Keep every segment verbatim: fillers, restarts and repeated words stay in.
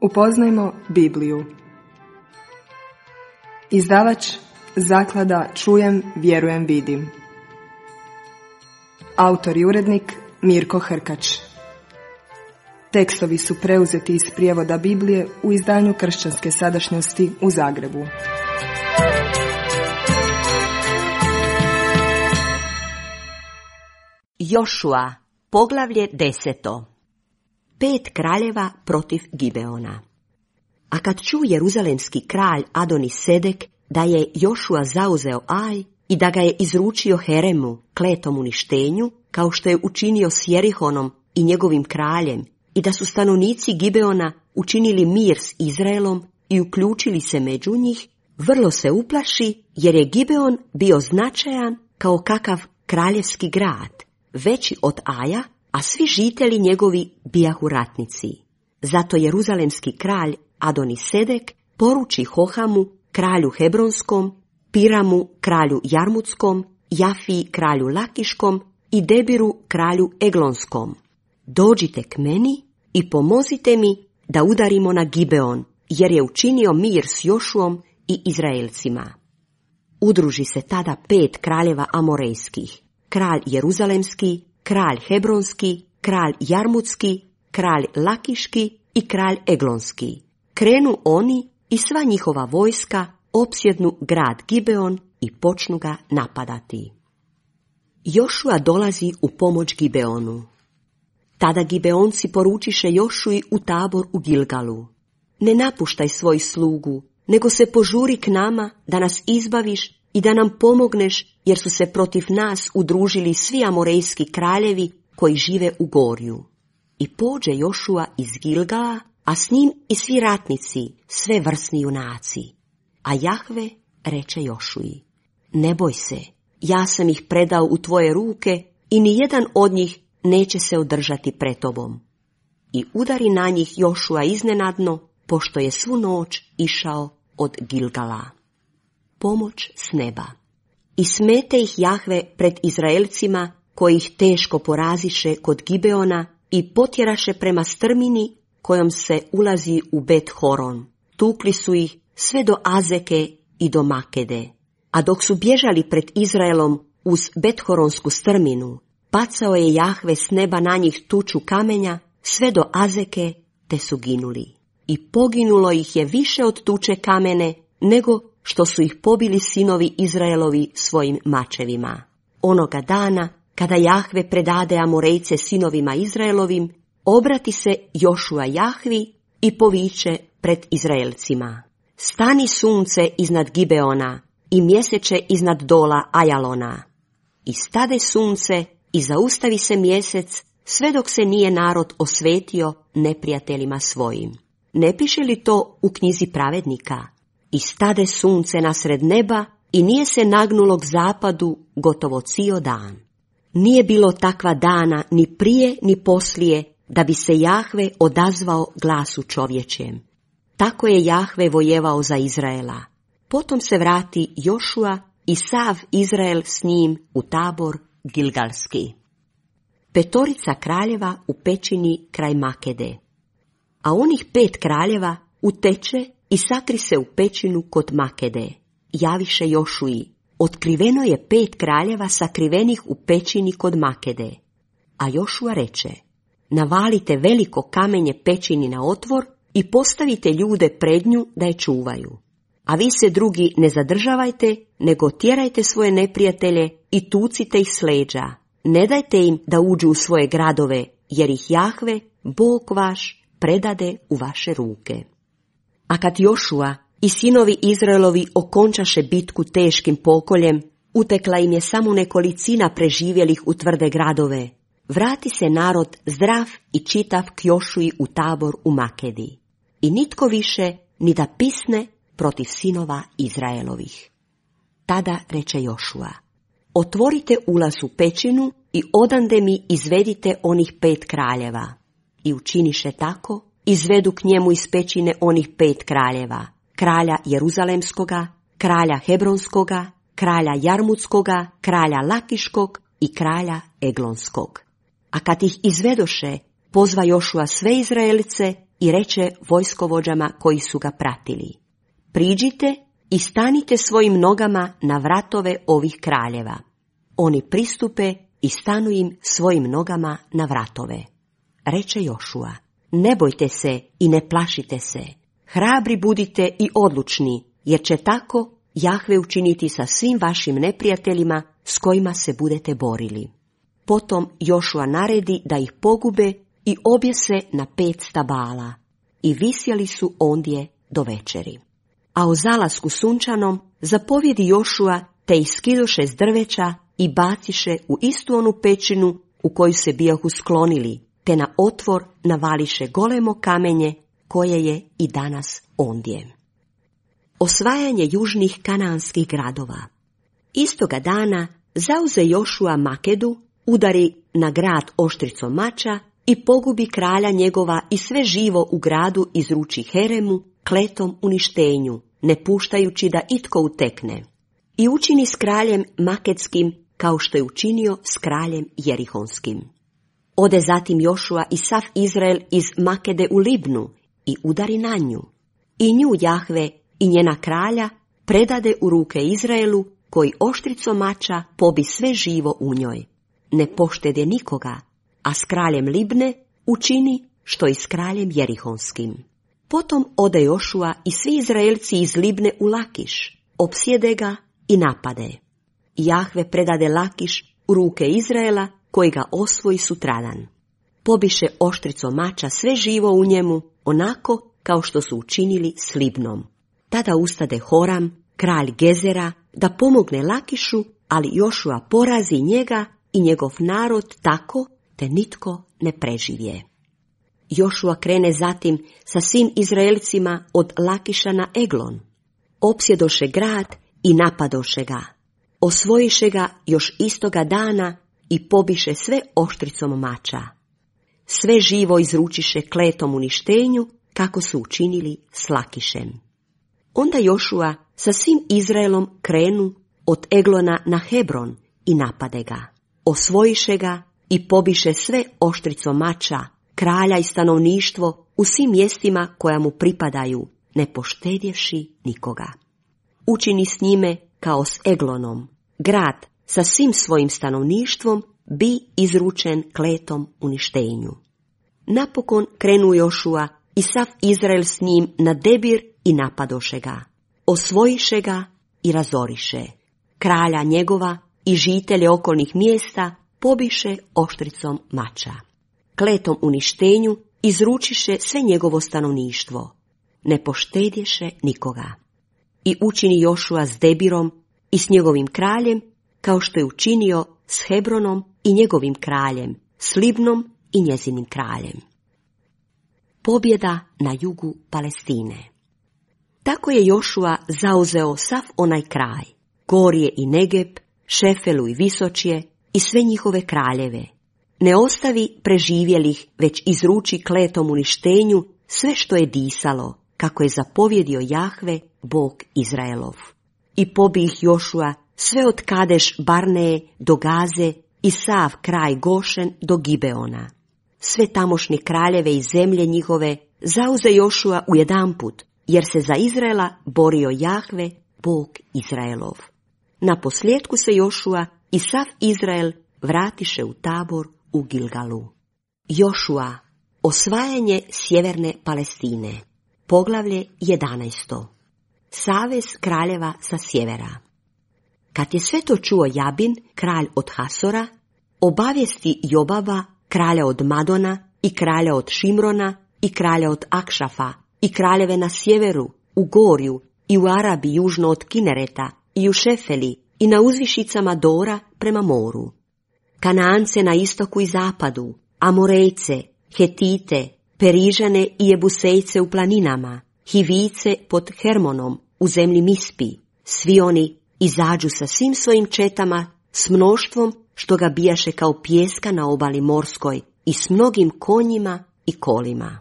Upoznajmo Bibliju. Izdavač Zaklada Čujem, vjerujem, vidim. Autor i urednik Mirko Hrkač. Tekstovi su preuzeti iz prijevoda Biblije u izdanju Kršćanske sadašnjosti u Zagrebu. Jošua, poglavlje deseto. Pet kraljeva protiv Gibeona. A kad ču jeruzalemski kralj Adoni-Sedek da je Jošua zauzeo Aj i da ga je izručio Heremu, kletom uništenju, kao što je učinio s Jerihonom i njegovim kraljem, i da su stanovnici Gibeona učinili mir s Izraelom i uključili se među njih, vrlo se uplaši, jer je Gibeon bio značajan kao kakav kraljevski grad, veći od Aja, a svi žitelji njegovi bijahu ratnici. Zato jeruzalemski kralj Adoni-Sedek poruči Hohamu, kralju Hebronskom, Piramu, kralju Jarmutskom, Jafiji, kralju Lakiškom i Debiru, kralju Eglonskom: dođite k meni i pomozite mi da udarimo na Gibeon, jer je učinio mir s Jošuom i Izraelcima. Udruži se tada pet kraljeva amorejskih: kralj Jeruzalemski, kralj Hebronski, kralj Jarmutski, kralj Lakiški i kralj Eglonski. Krenu oni i sva njihova vojska opsjednu grad Gibeon i počnu ga napadati. Jošua dolazi u pomoć Gibeonu. Tada Gibeonci poručiše Jošui u tabor u Gilgalu: ne napuštaj svoj slugu, nego se požuri k nama da nas izbaviš i da nam pomogneš, jer su se protiv nas udružili svi amorejski kraljevi koji žive u gorju. I pođe Jošua iz Gilgala, a s njim i svi ratnici, sve vrsni junaci. A Jahve reče Jošui: ne boj se, ja sam ih predao u tvoje ruke i ni jedan od njih neće se održati pred tobom. I udari na njih Jošua iznenadno, pošto je svu noć išao od Gilgala. Pomoć s neba. I smete ih Jahve pred Izraelcima, koji ih teško poraziše kod Gibeona i potjeraše prema strmini kojom se ulazi u Bet Horon. Tukli su ih sve do Azeke i do Makede. A dok su bježali pred Izraelom uz Bethoronsku strminu, bacao je Jahve s neba na njih tuču kamenja sve do Azeke, te su ginuli. I poginulo ih je više od tuče kamene, nego što su ih pobili sinovi Izraelovi svojim mačevima. Onoga dana, kada Jahve predade Amorejce sinovima Izraelovim, obrati se Jošua Jahvi i poviče pred Izraelcima: stani sunce iznad Gibeona i mjeseče iznad dola Ajalona. I stade sunce i zaustavi se mjesec, sve dok se nije narod osvetio neprijateljima svojim. Ne piše li to u knjizi pravednika? I stade sunce nasred neba i nije se nagnulo k zapadu gotovo cijel dan. Nije bilo takva dana ni prije ni poslije da bi se Jahve odazvao glasu čovječjem. Tako je Jahve vojevao za Izraela. Potom se vrati Jošua i sav Izrael s njim u tabor Gilgalski. Petorica kraljeva u pećini kraj Makede. A onih pet kraljeva uteče i sakri se u pećinu kod Makede. Javiše Jošui: otkriveno je pet kraljeva sakrivenih u pećini kod Makede. A Jošua reče: navalite veliko kamenje pećini na otvor i postavite ljude pred nju da je čuvaju. A vi se drugi ne zadržavajte, nego tjerajte svoje neprijatelje i tucite ih s leđa. Ne dajte im da uđu u svoje gradove, jer ih Jahve, Bog vaš, predade u vaše ruke. A kad Jošua i sinovi Izraelovi okončaše bitku teškim pokoljem, utekla im je samo nekolicina preživjelih u tvrde gradove. Vrati se narod zdrav i čitav k Jošui u tabor u Makedi. I nitko više ni da pisne protiv sinova Izraelovih. Tada reče Jošua: otvorite ulaz u pećinu i odande mi izvedite onih pet kraljeva. I učiniše tako, izvedu k njemu iz pećine onih pet kraljeva: kralja Jeruzalemskoga, kralja Hebronskoga, kralja Jarmutskoga, kralja Lakiškog i kralja Eglonskog. A kad ih izvedoše, pozva Jošua sve Izraelice i reče vojskovođama koji su ga pratili: priđite i stanite svojim nogama na vratove ovih kraljeva. Oni pristupe i stanu im svojim nogama na vratove. Reče Jošua: ne bojte se i ne plašite se, hrabri budite i odlučni, jer će tako Jahve učiniti sa svim vašim neprijateljima s kojima se budete borili. Potom Jošua naredi da ih pogube i objese na pet stabala, i visjeli su ondje do večeri. A u zalasku sunčanom zapovjedi Jošua, te ih skidoše s drveća i baciše u istu onu pećinu u koju se bijahu sklonili, te na otvor navališe golemo kamenje koje je i danas ondje. Osvajanje južnih kanaanskih gradova. Istoga dana zauze Jošua Makedu, udari na grad oštricom mača i pogubi kralja njegova i sve živo u gradu izruči Heremu kletom uništenju, ne puštajući da itko utekne. I učini s kraljem Maketskim kao što je učinio s kraljem Jerihonskim. Ode zatim Jošua i sav Izrael iz Makede u Libnu i udari na nju. I nju Jahve i njena kralja predade u ruke Izraelu, koji oštricom mača pobi sve živo u njoj. Ne poštede nikoga, a s kraljem Libne učini što i s kraljem Jerihonskim. Potom ode Jošua i svi Izraelci iz Libne u Lakiš, opsjede ga i napade. Jahve predade Lakiš u ruke Izraela, koji ga osvoji sutradan. Pobiše oštricom mača sve živo u njemu, onako kao što su učinili s Libnom. Tada ustade Horam, kralj Gezera, da pomogne Lakišu, ali Jošua porazi njega i njegov narod tako, te nitko ne preživje. Jošua krene zatim sa svim Izraelcima od Lakiša na Eglon. Opsjedoše grad i napadoše ga. Osvojiše ga još istoga dana i pobiše sve oštricom mača. Sve živo izručiše kletom uništenju, kako su učinili s Lakišem. Onda Jošua sa svim Izraelom krenu od Eglona na Hebron i napade ga. Osvojiše ga i pobiše sve oštricom mača, kralja i stanovništvo u svim mjestima koja mu pripadaju, ne poštedjevši nikoga. Učini s njime kao s Eglonom. Grad sa svim svojim stanovništvom bi izručen kletom uništenju. Napokon krenu Jošua i sav Izrael s njim na Debir i napadoše ga. Osvojiše ga i razoriše. Kralja njegova i žitelje okolnih mjesta pobiše oštricom mača. Kletom uništenju izručiše sve njegovo stanovništvo. Ne poštedješe nikoga. I učini Jošua s Debirom i s njegovim kraljem, kao što je učinio s Hebronom i njegovim kraljem, s Libnom i njezinim kraljem. Pobjeda na jugu Palestine. Tako je Jošua zauzeo sav onaj kraj, Gorje i Negeb, Šefelu i Visočje i sve njihove kraljeve. Ne ostavi preživjelih, već izruči kletom uništenju sve što je disalo, kako je zapovjedio Jahve, Bog Izraelov. I pobi ih Jošua sve od Kadeš Barneje do Gaze i sav kraj Gošen do Gibeona. Sve tamošnje kraljeve i zemlje njihove zauze Jošua u jedanput, jer se za Izraela borio Jahve, Bog Izraelov. Na posljedku se Jošua i sav Izrael vratiše u tabor u Gilgalu. Jošua, osvajanje sjeverne Palestine. Poglavlje jedanaesto. Savez kraljeva sa sjevera. Kad je sve to čuo Jabin, kralj od Hasora, obavijesti Jobaba, kralja od Madona i kralja od Šimrona i kralja od Akšafa i kraljeve na sjeveru, u Gorju i u Arabi južno od Kinereta i u Šefeli i na uzvišicama Dora prema moru. Kanaance na istoku i zapadu, Amorejce, Hetite, Perižane i Jebusejce u planinama, Hivice pod Hermonom u zemlji Mispi. Svi oni izađu sa svim svojim četama, s mnoštvom što ga bijaše kao pijeska na obali morskoj i s mnogim konjima i kolima.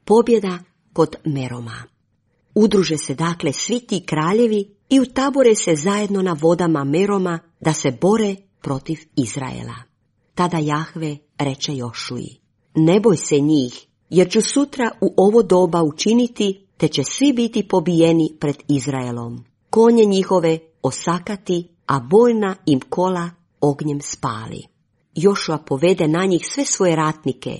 Pobjeda kod Meroma. Udruže se dakle svi ti kraljevi i utabore se zajedno na vodama Meroma da se bore protiv Izraela. Tada Jahve reče Jošuji: ne boj se njih, jer ću sutra u ovo doba učiniti, te će svi biti pobijeni pred Izraelom. Konje njihove osakati, a bojna im kola ognjem spali. Jošua povede na njih sve svoje ratnike,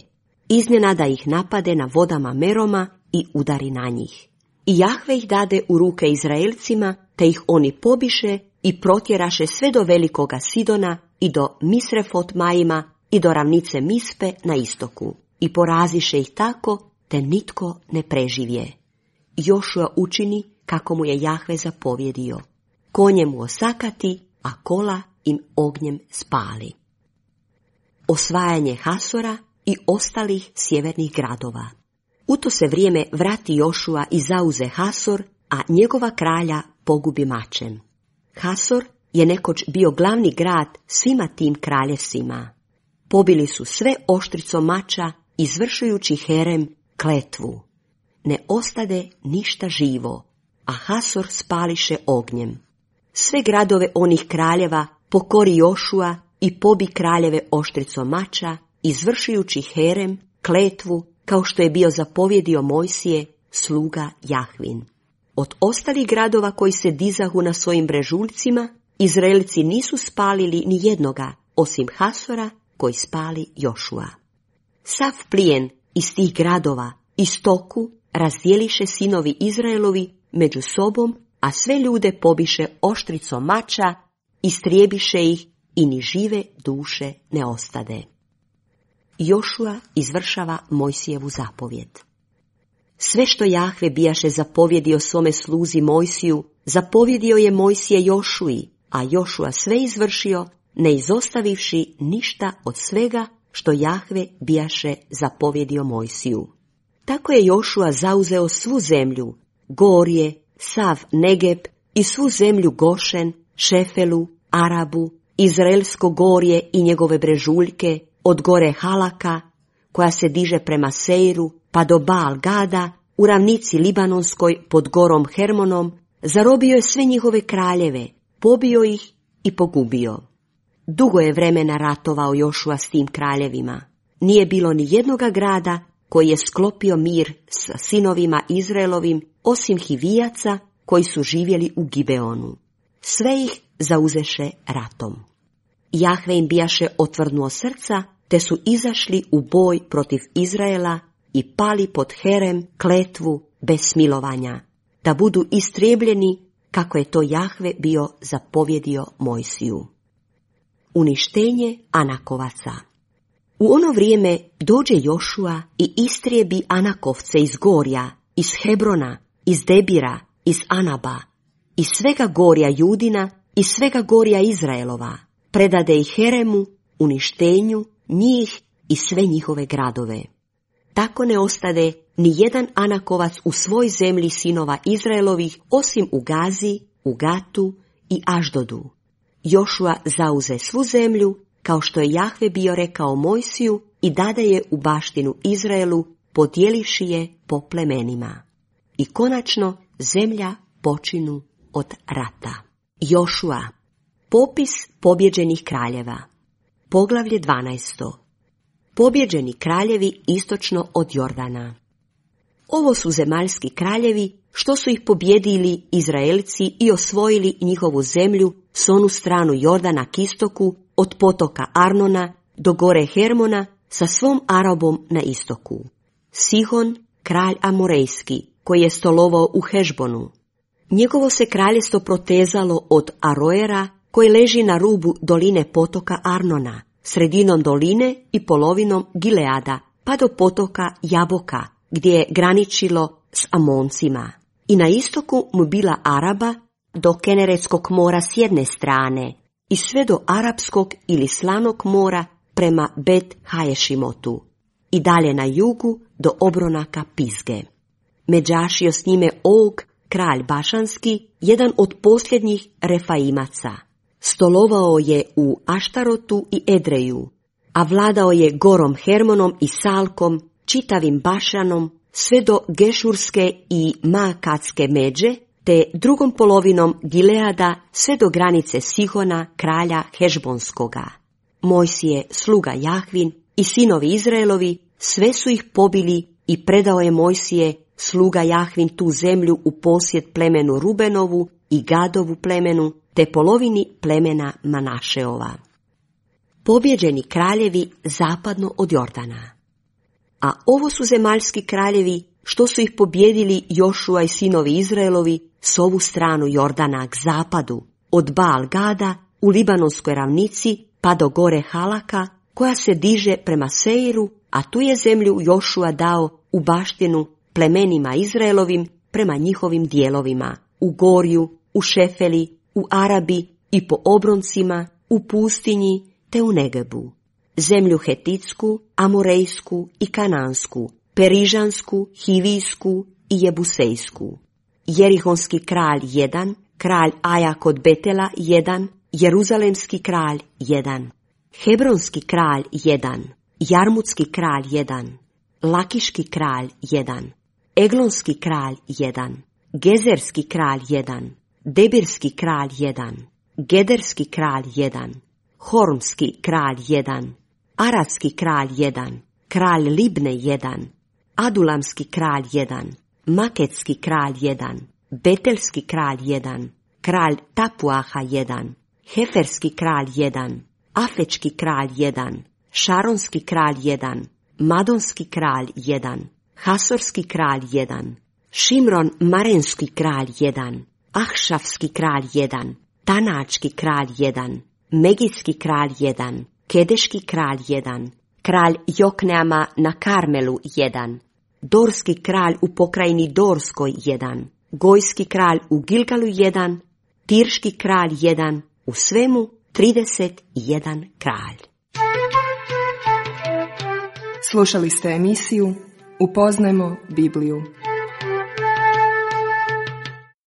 iznenada ih napade na vodama Meroma i udari na njih. I Jahve ih dade u ruke Izraelcima, te ih oni pobiše i protjeraše sve do velikoga Sidona i do Misrefot Majima i do ravnice Mispe na istoku. I poraziše ih tako, te nitko ne preživje. Jošua učini kako mu je Jahve zapovjedio. Konje mu osakati, a kola im ognjem spali. Osvajanje Hasora i ostalih sjevernih gradova. U to se vrijeme vrati Jošua i zauze Hasor, a njegova kralja pogubi mačem. Hasor je nekoć bio glavni grad svima tim kraljevstvima. Pobili su sve oštricom mača, izvršujući Herem kletvu. Ne ostade ništa živo, a Hasor spališe ognjem. Sve gradove onih kraljeva pokori Jošua i pobi kraljeve oštricom mača, izvršujući Herem kletvu, kao što je bio zapovjedio Mojsije, sluga Jahvin. Od ostalih gradova koji se dizahu na svojim brežuljcima, Izraelci nisu spalili ni jednoga, osim Hasora, koji spali Jošua. Sav plijen iz tih gradova i stoku razdjeliše sinovi Izraelovi među sobom, a sve ljude pobiše oštricom mača, istrijebiše ih i ni žive duše ne ostade. Jošua izvršava Mojsijevu zapovjed. Sve što Jahve bijaše zapovjedio svome sluzi Mojsiju, zapovjedio je Mojsije Jošui, a Jošua sve izvršio, ne izostavivši ništa od svega što Jahve bijaše zapovjedio Mojsiju. Tako je Jošua zauzeo svu zemlju, Gorje, sav Negeb i svu zemlju Gošen, Šefelu, Arabu, Izraelsko gorje i njegove brežuljke, od gore Halaka, koja se diže prema Seiru, pa do Baal Gada, u ravnici Libanonskoj pod gorom Hermonom, zarobio je sve njihove kraljeve, pobio ih i pogubio. Dugo je vremena ratovao Jošua s tim kraljevima. Nije bilo ni jednoga grada koji je sklopio mir sa sinovima Izraelovim, osim Hivijaca koji su živjeli u Gibeonu. Sve ih zauzeše ratom. Jahve im bijaše otvrdnuo srca, te su izašli u boj protiv Izraela i pali pod Herem kletvu bez smilovanja, da budu istrijebljeni kako je to Jahve bio zapovjedio Mojsiju. Uništenje Anakovaca. U ono vrijeme dođe Jošua i istrijebi Anakovce iz Gorja, iz Hebrona, iz Debira, iz Anaba, iz svega Gorja Judina i svega Gorja Izraelova, predade ih Heremu, uništenju, njih i sve njihove gradove. Tako ne ostade ni jedan Anakovac u svoj zemlji sinova Izraelovih, osim u Gazi, u Gatu i Aždodu. Jošua zauze svu zemlju, kao što je Jahve bio rekao Mojsiju, i dade je u baštinu Izraelu, podijelivši je po plemenima. I konačno zemlja počinu od rata. Jošua. Popis pobjeđenih kraljeva. Poglavlje dvanaesto. Pobjeđeni kraljevi istočno od Jordana. Ovo su zemaljski kraljevi što su ih pobjedili Izraelci i osvojili njihovu zemlju s onu stranu Jordana k istoku, od potoka Arnona do gore Hermona, sa svom Arabom na istoku. Sihon, kralj Amorejski, koji je stolovao u Hešbonu. Njegovo se kraljestvo protezalo od Aroera, koji leži na rubu doline potoka Arnona, sredinom doline i polovinom Gileada, pa do potoka Jaboka, gdje je graničilo s Amoncima. I na istoku mu bila Araba, do Keneretskog mora s jedne strane, i sve do Arapskog ili Slanog mora prema Bet Haješimotu, i dalje na jugu do obronaka Pizge. Međašio s njime Og, kralj Bašanski, jedan od posljednjih Refaimaca. Stolovao je u Aštarotu i Edreju, a vladao je gorom Hermonom i Salkom, čitavim Bašanom, sve do Gešurske i Maakatske međe, te drugom polovinom Gileada sve do granice Sihona, kralja Hešbonskoga. Mojsije, sluga Jahvin i sinovi Izraelovi, sve su ih pobili i predao je Mojsije, sluga Jahvin, tu zemlju u posjed plemenu Rubenovu i Gadovu plemenu, te polovini plemena Manašeova. Pobjeđeni kraljevi zapadno od Jordana. A ovo su zemaljski kraljevi, što su ih pobjedili Jošua i sinovi Izraelovi s ovu stranu Jordana k zapadu, od Baal Gada u Libanonskoj ravnici pa do gore Halaka, koja se diže prema Seiru, a tu je zemlju Jošua dao u baštinu plemenima Izraelovim prema njihovim dijelovima, u Gorju, u Šefeli, u Arabi i po obroncima, u pustinji te u Negebu. Zemlju Hetitsku, Amorejsku i Kanansku, Perižansku, Hivijsku i Jebusejsku. Jerihonski kralj jedan, kralj Aja kod Betela jedan, Jeruzalemski kralj jedan, Hebronski kralj jedan, Jarmutski kralj jedan, Lakiški kralj jedan, Eglonski kralj jedan, Gezerski kralj jedan, Debirski kralj jedan, Gederski kralj jedan, Hormski kralj jedan, Aradski kralj jedan, kralj Libne jedan, Adulamski kralj jedan, Maketski kralj jedan, Betelski kralj jedan, kralj Tapuaha jedan, Heferski kralj jedan, Afečki kralj jedan, Šaronski kralj jedan, Madonski kralj jedan, Hasorski kralj jedan, Šimron Marenski kralj jedan, Ahšafski kralj jedan, Tanački kralj jedan, Megidski kralj jedan, Kedeški kralj jedan, kralj Jokneama na Karmelu jedan, Dorski kralj u pokrajini Dorskoj jedan, Gojski kralj u Gilgalu jedan, Tirški kralj jedan, u svemu trideset jedan kralj. Slušali ste emisiju Upoznajmo Bibliju.